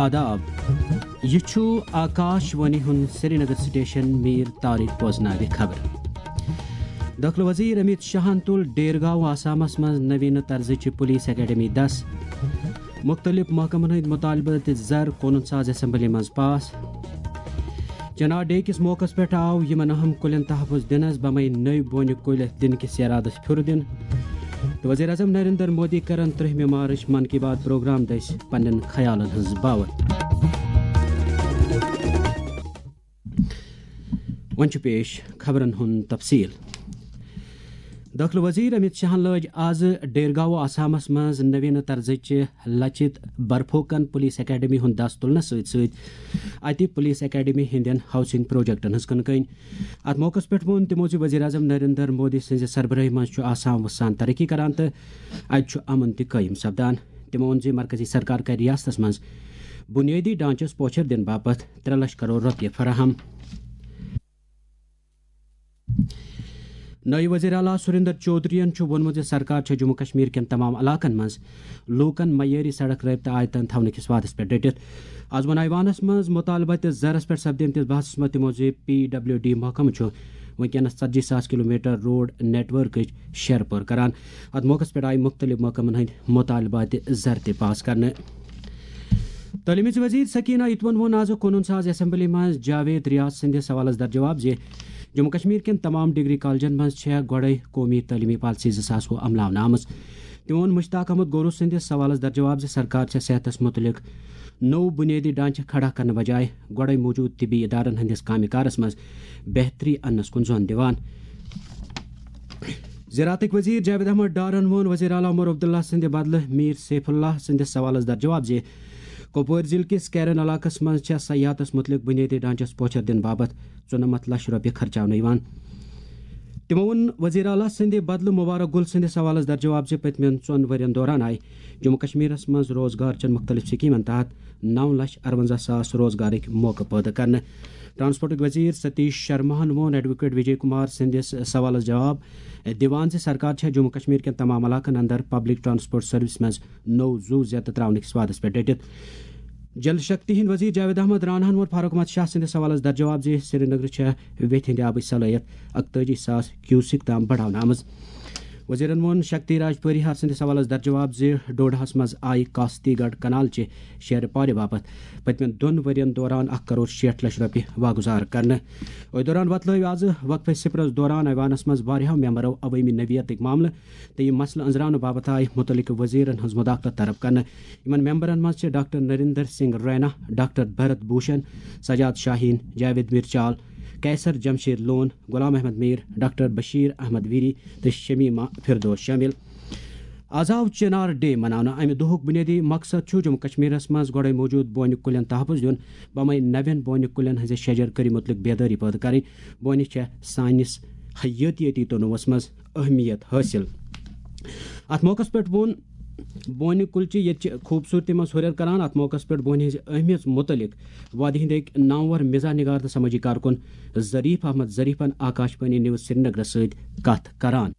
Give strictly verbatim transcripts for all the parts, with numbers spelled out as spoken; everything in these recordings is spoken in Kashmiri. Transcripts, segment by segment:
آداب۔ یہِ چھُ آکاش وانی ہُنٛد سرینگر سٹیشن۔ میر طارق بوزناوِ خبر۔ دٲخلہٕ وزیر امیت شاہن تُل ڈیرگاؤں آسامس منٛز نوینہٕ طرزٕچہِ پولیس اکیڈمی دس۔ مُختٔلِف محکمن ہٕنٛدۍ مُطالبہٕ تہٕ زر قونوٗن ساز اسمبلی منٛز پاس۔ چنار ڈے کِس موقعس پٮ۪ٹھ آو یِمن اہم کُلٮ۪ن تحفظ دِنس بمے نٔوۍ بونہِ کُلۍ دِنہٕ کِس ارادس پھیُر دِنہٕ۔ تہٕ وزیر اعظم نریندر مودی کرن ترٛہمہِ مارچ من کی بات پروگرام دٔسۍ پننٮ۪ن خیالن ہٕنٛز باوتھ۔ وۄنۍ چھُ پیش خبرن ہُنٛد تفصیل۔ دٲخلہٕ وزیر امیت شاہن لٲج آز ڈیرگاؤں آسامس منٛز نوینہٕ طرزٕچہِ لچت برفوکن پولیس اکیڈمی ہُنٛد دس تُلنس سۭتۍ سۭتۍ اتہِ پولیس اکیڈمی ہٕنٛدٮ۪ن ہاؤسنگ پروجیکٹن ہٕنٛز کٕنہٕ کٔنۍ۔ اتھ موقعس پٮ۪ٹھ ووٚن تِمو زِ وزیر اعظم نریندر مودی سٕنٛزِ سربرٲہی منٛز چھُ آسام وُسان ترقی کران تہٕ اتہِ چھُ امن تہِ قٲیِم سپدان۔ تِمو ووٚن زِ مرکزی سرکار کرِ ریاستس منٛز بنیٲدی ڈھانچس پوچھر دِنہٕ باپتھ ترٛےٚ لچھ کرور رۄپیہِ فراہم۔ نٲیِب وزیر اعلیٰ سُریندر چودھرین چھُ ووٚنمُت زِ سرکار چھےٚ جموں کشمیر کٮ۪ن تمام علاقن منٛز لوٗکن معیٲری سڑک رٲبطہٕ آیتن تھاونہٕ کِس وعدس پٮ۪ٹھ ڈٔٹِتھ۔ آز ووٚن ایوانس منٛز مُطالبہٕ تہٕ زرس پٮ۪ٹھ سپدیمتِس بحثس منٛز تِمو زِ پی ڈبلیو ڈی محکمہٕ چھُ وٕنکیٚنس ژتجی ساس کلومیٹر روڈ نیٹ ورکٕچ شیرٕ پٲر کران۔ اتھ موقعس پٮ۪ٹھ آیہِ مُختٔلِف محکمن ہٕنٛدۍ مُطالبہٕ تہِ زر تہِ پاس کرنہٕ۔ تعلیمٕچ وزیر سکینہ اتون ووٚن آز قونوٗن ساز اسمبلی منٛز جاوید ریاض سٕنٛدِس سوالس درجواب زِ جموں کشمیر کٮ۪ن تمام ڈگری کالجن منٛز چھےٚ گۄڈے قومی تعلیمی پالیسی زٕ ساس وُہ عملاونہٕ آمٕژ۔ تٔمۍ ووٚن مشتاق احمد گورو سٕنٛدِس سوالس درجواب زِ سرکار چھےٚ صحتس متعلق نوٚو بنیٲدی ڈھانچہٕ کھڑا کرنہٕ بجایہِ گۄڈے موجود طبی ادارن ہٕنٛدِس کامہِ کارس منٛز بہتری اننس کُن زون دِوان۔ زراعتٕکۍ وزیر جاوید احمد ڈارن ووٚن وزیر اعلیٰ عمر عبداللہ سٕنٛدِ بدلہٕ میر سیف اللہ سٕنٛدِس سوالس درجواب زِ کۄپوٲرۍ ضلعہٕ کِس کیرن علاقس منٛز چھےٚ سیاحتس مُتعلق بُنیٲدی ڈھانچس پوچھر دِنہٕ باپتھ ژُنَمَتھ لچھ رۄپیہِ خرچاونہٕ یِوان۔ تِمو ووٚن وزیر اعلیٰ سٕنٛدِ بدلہٕ مبارک گُل سٕنٛدِس سوالس درجواب زِ پٔتمٮ۪ن ژۄن ؤرین دوران آیہِ جموں کشمیرس منٛز روزگار چٮ۪ن مُختٔلِف سکیٖمن تحت نو لچھ اَرونٛزاہ ساس روزگارٕکۍ موقعہٕ پٲدٕ کرنہٕ۔ ٹرانسپورٹٕکۍ وزیر ستیش شرماہن ووٚن ایڈووکیٹ وجے کمار سٕنٛدِس سوالس جواب دِوان زِ سرکار چھےٚ جموں کشمیر کٮ۪ن تمام علاقن اندر پبلک ٹرانسپورٹ سروس منٛز نوٚو زُو زیتہٕ تراونہٕ کِس وعدس پٮ۪ٹھ ڈٔٹِتھ۔ جل شکتی ہٕنٛدۍ وزیر جاوید احمد راناہن ووٚن فاروق احمد شاہ سٕنٛدِس سوالس درجواب زِ سرینگرٕ چھےٚ ویتھِ ہٕنٛدِ آبٕچ صلٲحیت اکتٲجی ساس کیوسک تام بڑاونہٕ آمٕژ۔ وزیرن ووٚن شکتی راج پریہار سٕنٛدِس سوالس درجواب زِ ڈوڈاہس منٛز آیہِ کاستی گڑھ کنال چہِ شیرٕ پارِ باپتھ پٔتمٮ۪ن دۄن ؤرین دوران اکھ کرور شیٹھ لچھ رۄپیہِ واگُزار کرنہٕ۔ أتھۍ دوران وۄتلٲوۍ آز وقفہٕ صفرس دوران ایوانس منٛز واریاہو ممبرو عوٲمی نوعیتٕکۍ معاملہٕ تہٕ یِم مسلہٕ أنٛزراونہٕ باپتھ آیہِ مُتعلقہٕ وزیرن ہٕنٛز مداخلت طلب کرنہٕ۔ یِمن ممبرن منٛز چھِ ڈاکٹر نریندر سنگھ رینا، ڈاکٹر بھرت بھوشن، سجاد شاہین، جاوید میرچال، قیصر جمشید لون، غلام احمد میر، ڈاکٹر بشیر احمد ویری تہٕ شمیمہ فردوس شٲمِل۔ آز آو چنار ڈے مناونہٕ۔ امہِ دۄہُک بُنیٲدی مقصد چھُ جموں کشمیرس منٛز گۄڈے موجود بونہِ کُلٮ۪ن تحفظ دیُن، بمے نوٮ۪ن بونہِ کُلٮ۪ن ہٕنٛزِ شجر کٲری مُتعلق بیدٲری پٲدٕ کرٕنۍ۔ بونہِ چھےٚ سٲنِس حیٲتیٲتی تنوعس منٛز اہمیت حٲصِل۔ اتھ موقعس پٮ۪ٹھ ووٚن بونہِ کُلچہِ ییٚتہِ چہِ خوٗبصوٗرتی منٛز ہُرٮ۪ر کران۔ اتھ موقعس پٮ۪ٹھ بونہِ ہٕنٛزِ اہمیت مُتعلق وادی ہٕنٛدۍ أکۍ نامور مزاح نگار تہٕ سمٲجی کارکُن ظریف احمد ظریفن آکاش وانی نیوز سرینگرس سۭتۍ کتھ کران۔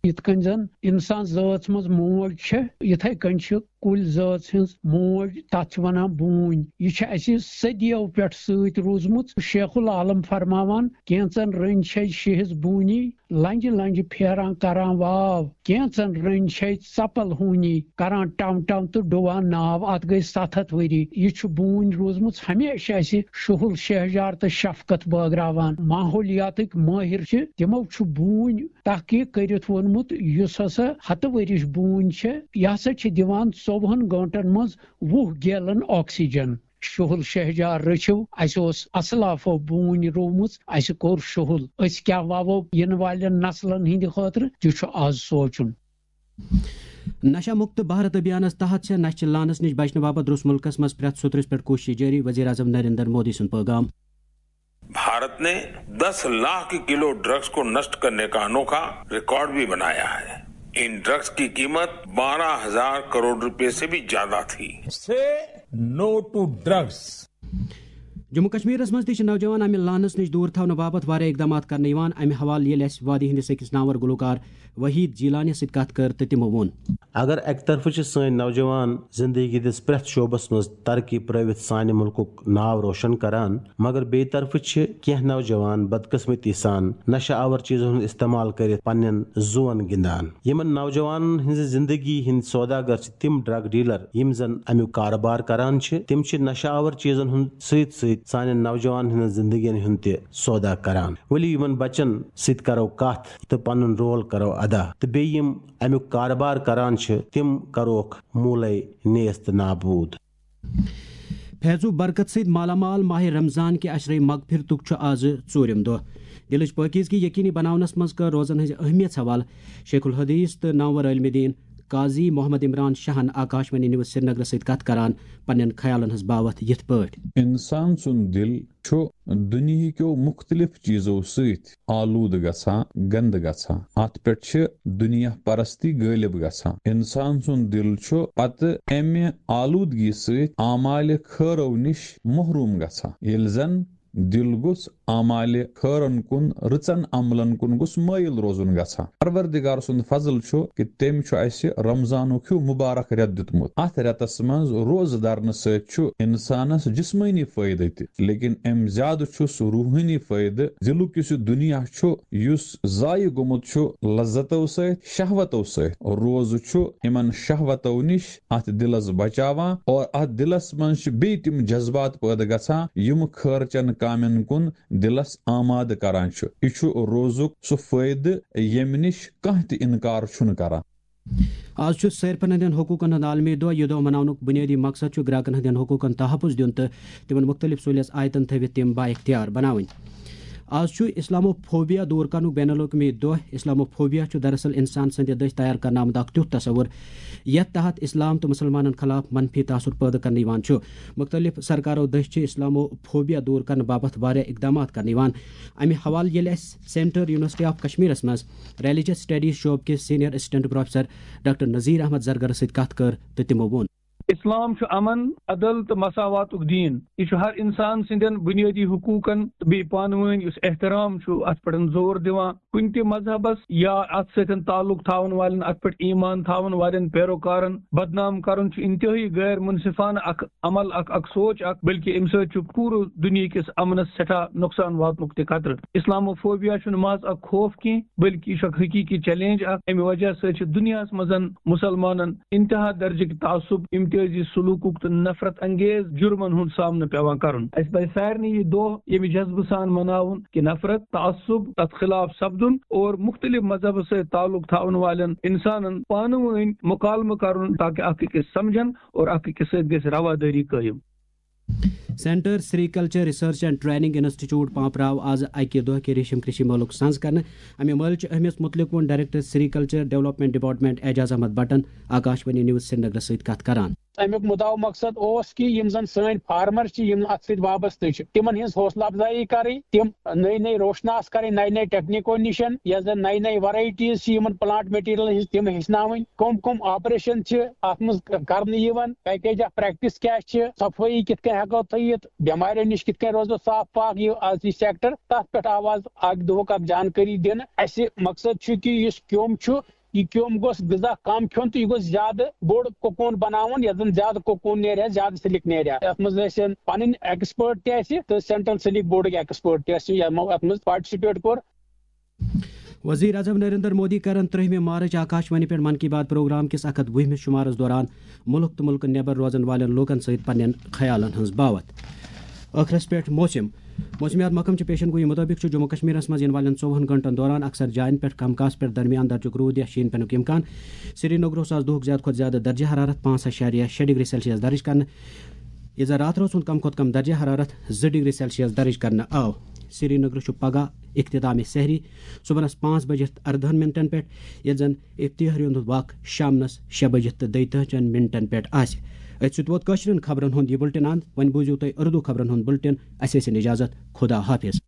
یِتھ کٔنۍ زن انسان ذٲژ منٛز موج چھےٚ، یِتھے کٔنۍ چھِ کُلۍ ذٲژ ہٕنٛز موج، تتھ چھِ ونان بوٗنۍ۔ یہِ چھِ اسہِ صدیو پٮ۪ٹھ سۭتۍ روٗزمٕژ۔ شیخ العالم فرماوان، کینژن رٔنۍ چھے شیہس بوٗنی، لنجہِ لنجہِ پھیران کران واو، کینژن رٔنۍ چھے ژپل ہوٗنی، کران ٹم ٹم تہٕ ڈُوان ناو۔ اتھ گٔے ستھ ہتھ ؤری۔ یہِ چھُ بوٗنۍ روٗزمٕژ ہمیشہِ اسہِ شُہُل شہجار تہٕ شفقت بٲگراوان۔ ماحولیاتٕکۍ مٲہِر چھِ، تِمو چھُ بوٗنۍ تحقیق کٔرِتھ ووٚنمُت، یُس ہسا ہتہٕ ؤرِش بوٗنۍ چھےٚ، یہِ ہسا چھِ دِوان ژوٚوُہن گٲنٛٹن منٛز وُہ گیلن آکسیجن۔ شُہُل شہجار رٔچھِو، اسہِ اوس اسلافو بوٗنۍ روومٕژ، اسہِ کوٚر شُہُل۔ أسۍ کیٛاہ ووو یِنہٕ والٮ۪ن نسلن ہٕنٛدِ خٲطرٕ، تہِ چھُ آز سونٛچُن۔ نشہ مکت بھارت ابھیانس تحت چھےٚ نشہِ لانس نِش بچنہٕ باپتھ درٛوس مُلکس منٛز پرٛٮ۪تھ سوٚترس پٮ۪ٹھ کوٗشش جٲری، وزیر اعظم نریندر مودی سُنٛد پٲغام۔ भारत ने दस लाख किलो ड्रग्स को नष्ट करने का अनोखा रिकॉर्ड भी बनाया है। इन ड्रग्स की कीमत बारह हजार करोड़ रुपए से भी ज्यादा थी। Say no to drugs. Jammu کشمیرس منٛز تہِ چھِ نوجوان امہِ لعنس نِش دوٗر تھاونہٕ باپتھ واریاہ اقدامات کرنہٕ یِوان۔ امہِ حوالہٕ ییٚلہِ اسہِ وادی ہٕنٛدِس أکِس ناوَر گلوکار وحید جیلانی سۭتۍ کتھ کٔر تہٕ تِمو ووٚن۔ اگر اکہِ طرفہٕ چھِ سٲنۍ نوجوان زندگی ہٕنٛدِس پرٛٮ۪تھ شعبس منٛز ترقی پرٲوِتھ سانہِ مُلکُک ناو روشن کران، مگر بیٚیہِ طرفہٕ چھِ کینٛہہ نوجوان بدقسمتی سان نشہ آور چیزن ہُنٛد استعمال کٔرِتھ پننٮ۪ن زُوَن گِنٛدان۔ یِمن نوجوانن ہٕنٛزِ زندگی ہٕنٛدۍ سوداگر چھِ تِم ڈرگ ڈیلر، یِم زن امیُک کارٕبار کران چھِ۔ تِم چھِ نشہ آور چیزن ہُنٛد سۭتۍ سۭتۍ سانٮ۪ن نوجوانن ہٕنٛزن زندگین ہُنٛد تہِ سودا کران۔ ؤلِو یِمن بچن سۭتۍ کرو کتھ تہٕ پنُن رول کرو ادا، تہٕ بیٚیہِ یِم امیُک کارٕبار کران چھِ، تِم کروکھ موٗلے نیست نابود۔ فیض و برکت سۭتۍ مالا مال ماہِ رمضان کہِ عشرِ مغفرتُک چھُ آز ژوٗرِم دۄہ۔ دِلٕچ پٲکیزگی یقینی بناونس منٛز کٔر روزن ہٕنٛزِ اہمیت حوالہٕ شیخ الحدیث تہٕ نامور عالمِ دین قاضی محمد عمران شاہن آکاش وانی نیوز سرینگرس سۭتۍ کتھ کران پننٮ۪ن خیالن ہٕنٛز باوتھ یِتھ پٲٹھۍ۔ انسان سُنٛد دِل چھُ دُنیہکیو مُختلف چیزو سۭتۍ آلودٕ گژھان، گنٛدٕ گژھان۔ اتھ پٮ۪ٹھ چھِ دُنیا پرستی غٲلب گژھان۔ انسان سُنٛد دِل چھُ پتہٕ امہِ آلودگی سۭتۍ اعمالِ خٲرو نِش محروم گژھان۔ ییٚلہِ زن دِل گوٚژھ اعمالِ خٲرن کُن، رٕژن عملن کُن گوٚژھ مٲیِل روزُن گژھان۔ پروردگار سُنٛد فضل چھُ کہِ تٔمۍ چھُ اسہِ رمضانُک ہیوٗ مُبارک رٮ۪تھ دیُتمُت۔ اتھ رٮ۪تس منٛز روزٕ درنہٕ سۭتۍ چھُ انسانس جسمٲنی فٲیدٕ تہِ، لیکن امہِ زیادٕ چھُ سُہ روحٲنی فٲیدٕ۔ دِلُک یُس یہِ دُنیا چھُ، یُس ضایع گوٚمُت چھُ لذتو سۭتۍ، شہوتو سۭتۍ۔ روزٕ چھُ یِمن شہوتو نِش اتھ دِلس بچاوان، اور اتھ دِلس منٛز چھِ بیٚیہِ تِم جذبات پٲدٕ گژھان، یِم خٲرچن کامٮ۪ن کُن دِلس آمادٕ کران چھُ۔ یہِ چھُ روزُک سُہ فٲیدٕ، ییٚمہِ نِش کانٛہہ تہِ انکار چھُنہٕ کران۔ آز چھُ صٲرفن ہٕنٛدٮ۪ن حقوٗقن ہُنٛد عالمی دۄہ۔ یہِ دۄہ مناونُک بُنیٲدی مقصد چھُ گراکن ہٕنٛدٮ۪ن حقوٗقن تحفظ دیُن تہٕ تِمن مُختٔلِف سہوٗلیژ آیتن تھٲوِتھ تِم بااختیار بناوٕنۍ۔ آز چھُ اسلاموفوبیا دوٗر کرنُک بین الاقوٲمی دۄہ۔ اسلاموفوبیا چھُ دراصل انسان سٕنٛدِ دٔسۍ تیار کرنہٕ آمُت اکھ تیُتھ تصور، یتھ تحت اسلام تہٕ مُسلمانن خلاف منفی تاثر پٲدٕ کرنہٕ یِوان چھُ۔ مُختٔلِف سرکارو دٔسۍ چھِ اسلاموفوبیا دوٗر کرنہٕ باپتھ واریاہ اقدامات کرنہٕ یِوان۔ امہِ حوالہٕ ییٚلہِ اسہِ سینٹر یونیورسٹی آف کشمیرس منٛز ریلیجس سٹڈیز شعبہٕ کِس senior assistant professor doctor Nazir Ahmad زرگرس سۭتۍ کتھ کٔر تہٕ تِمو ووٚن۔ اسلام چھُ امن، عدل تہٕ مساواتُک دین۔ یہِ چھُ ہر انسان سٕنٛدٮ۪ن بُنیٲدی حقوٗقن تہٕ بیٚیہِ پانہٕ وٲنۍ یُس احترام چھُ، اتھ پٮ۪ٹھ زور دِوان۔ کُنہِ تہِ مذہبس یا اتھ سۭتۍ تعلق تھاون والٮ۪ن، اتھ پٮ۪ٹھ ایمان تھاون والٮ۪ن پیروکارن بدنام کرُن چھُ انتہٲئی غیر منصفانہٕ اکھ عمل، اکھ، اکھ سونچ اکھ، بلکہ امہِ سۭتۍ چھُ پوٗرٕ دُنیہکِس امنس سٮ۪ٹھاہ نۄقصان واتنُک تہِ خطرٕ۔ اسلاموفوبیا چھُنہٕ محض اکھ خوف کینٛہہ، بلکہ یہِ چھُ اکھ حقیقی چیلنج اکھ۔ امہِ وجہ سۭتۍ چھِ دُنیاہس منٛز مُسلمانن انتہا درجٕکۍ تعصب، امتیازی سلوکُک تہٕ نفرت انگیز جرمن ہُنٛد سامنہٕ پٮ۪وان کرُن۔ اسہِ پزِ سارنٕے یہِ دۄہ ییٚمہِ جذبہٕ سان مناوُن کہِ نفرت، تعصب، تتھ خلاف سپدُن اور مُختٔلِف مذہبس سۭتۍ تعلق تھاون والٮ۪ن انسانن پانہٕ وٲنۍ مُکالمہٕ کرُن، تاکہ اکھ أکِس سمجھن اور اکھ أکِس سۭتۍ گژھِ روادٲری قٲیِم۔ Centre sericulture research and training institute Pampore آز اکہِ دۄہ کہِ ریشم کشی مٲلُک سنز کرنہٕ۔ امہِ مٲلہٕ چہِ اہمیت مُتعلق ووٚن director sericulture development department Ejaz Ahmad بٹن آکاش وانی نیوز سرینگرس سۭتۍ کتھ کران۔ امیُک مُدعا مقصد اوس کہِ یِم زن سٲنۍ فارمر چھِ، یِم اتھ سۭتۍ وابستہٕ چھِ، تِمن ہٕنٛز حوصلہٕ افزایی کرٕنۍ، تِم نٔے نٔے روشناس کرٕنۍ، نٔے نٔے ٹیکنیکو نِشن، یۄس زن نٔے نٔے ورایٹیز چھِ یِمن پلانٹ مٹیریل ہٕنٛز، تِم ہیٚچھناوٕنۍ، کم کم آپریشن چھِ اتھ منٛز کرنہٕ یِوان، پیکیج آف پریکٹس کیاہ چھِ، صفٲیی کِتھ کٔنۍ ہیٚکو تھٲیِتھ، بٮ۪ماریو نِش کِتھ کٔنۍ روزو صاف پاک، یہِ از یہِ سیکٹر، تتھ پٮ۪ٹھ آو از اکھ دۄہُک اکھ جانکٲری دِنہٕ۔ اسہِ مقصد چھُ کہِ یُس کیوٚم چھُ، یہِ کیوٚم گوٚژھ غذا کم کھیوٚن تہٕ یہِ گوٚژھ زیادٕ بوٚڑ کوکون بناوُن، یتھ زن زیادٕ کوکون نیرِ ہا، زیادٕ سلک نیرِ ہا۔ یتھ منٛز ٲسۍ پنٕنۍ ایکسپرٹ تہِ اسہِ تہٕ سینٹرل سلک بورڈٕکۍ ایکسپرٹ تہِ اسہِ یمو اتھ منٛز پارٹیسپیٹ کوٚر۔ وزیر اعظم نریندر مودی کرن ترٛہمہِ مارچ آکاش وانی پٮ۪ٹھ من کی بات پروگرام کِس اکھ ہتھ وُہمِس شمارس دوران مُلک تہٕ مُلکہٕ نٮ۪بر روزن والٮ۪ن لوٗکن سۭتۍ پننٮ۪ن خیالن ہٕنٛز باوتھ۔ ٲخرس پٮ۪ٹھ موسم۔ موسمیات محکمہٕ چہِ پیشن گویی مُطٲبِق چھُ جموں کشمیرس منٛز یِنہٕ والٮ۪ن ژوٚوُہن گھنٹن دوران اکثر جاین پٮ۪ٹھ کم کاسہٕ پٮ۪ٹھ درمیان درجُک روٗد یا شیٖن پٮ۪نُک امکان۔ سرینگرس آز دُہُک زیادٕ کھۄتہٕ زیادٕ درجہ حرارت پانٛژھ اَشاریہ شےٚ ڈگری سیلسیس درج کرنہٕ۔ ییٚتہِ زن راتھ روز ہُنٛد کم کھۄتہٕ کم درجہ حرارت زٕ ڈگری سیلسیس درج کرنہٕ آو۔ سرینگرس چھُ پگاہ اختتام سحری صبحس پانٛژھ بجِتھ اردہن منٹن پٮ۪ٹھ، ییٚلہِ زن افتتاح ہُنٛد وق شامنس شےٚ بجِتھ تہٕ دۄیتٲجِہن منٹن پٮ۪ٹھ آسہِ۔ أتھۍ سۭتۍ ووت کٲشرٮ۪ن خبرن ہُنٛد یہِ بُلٹن اند۔ وۄنۍ بوٗزِو تُہۍ اردو خبرن ہُنٛد بُلٹن۔ اسہِ ٲسِن اجازت۔ خدا حافظ۔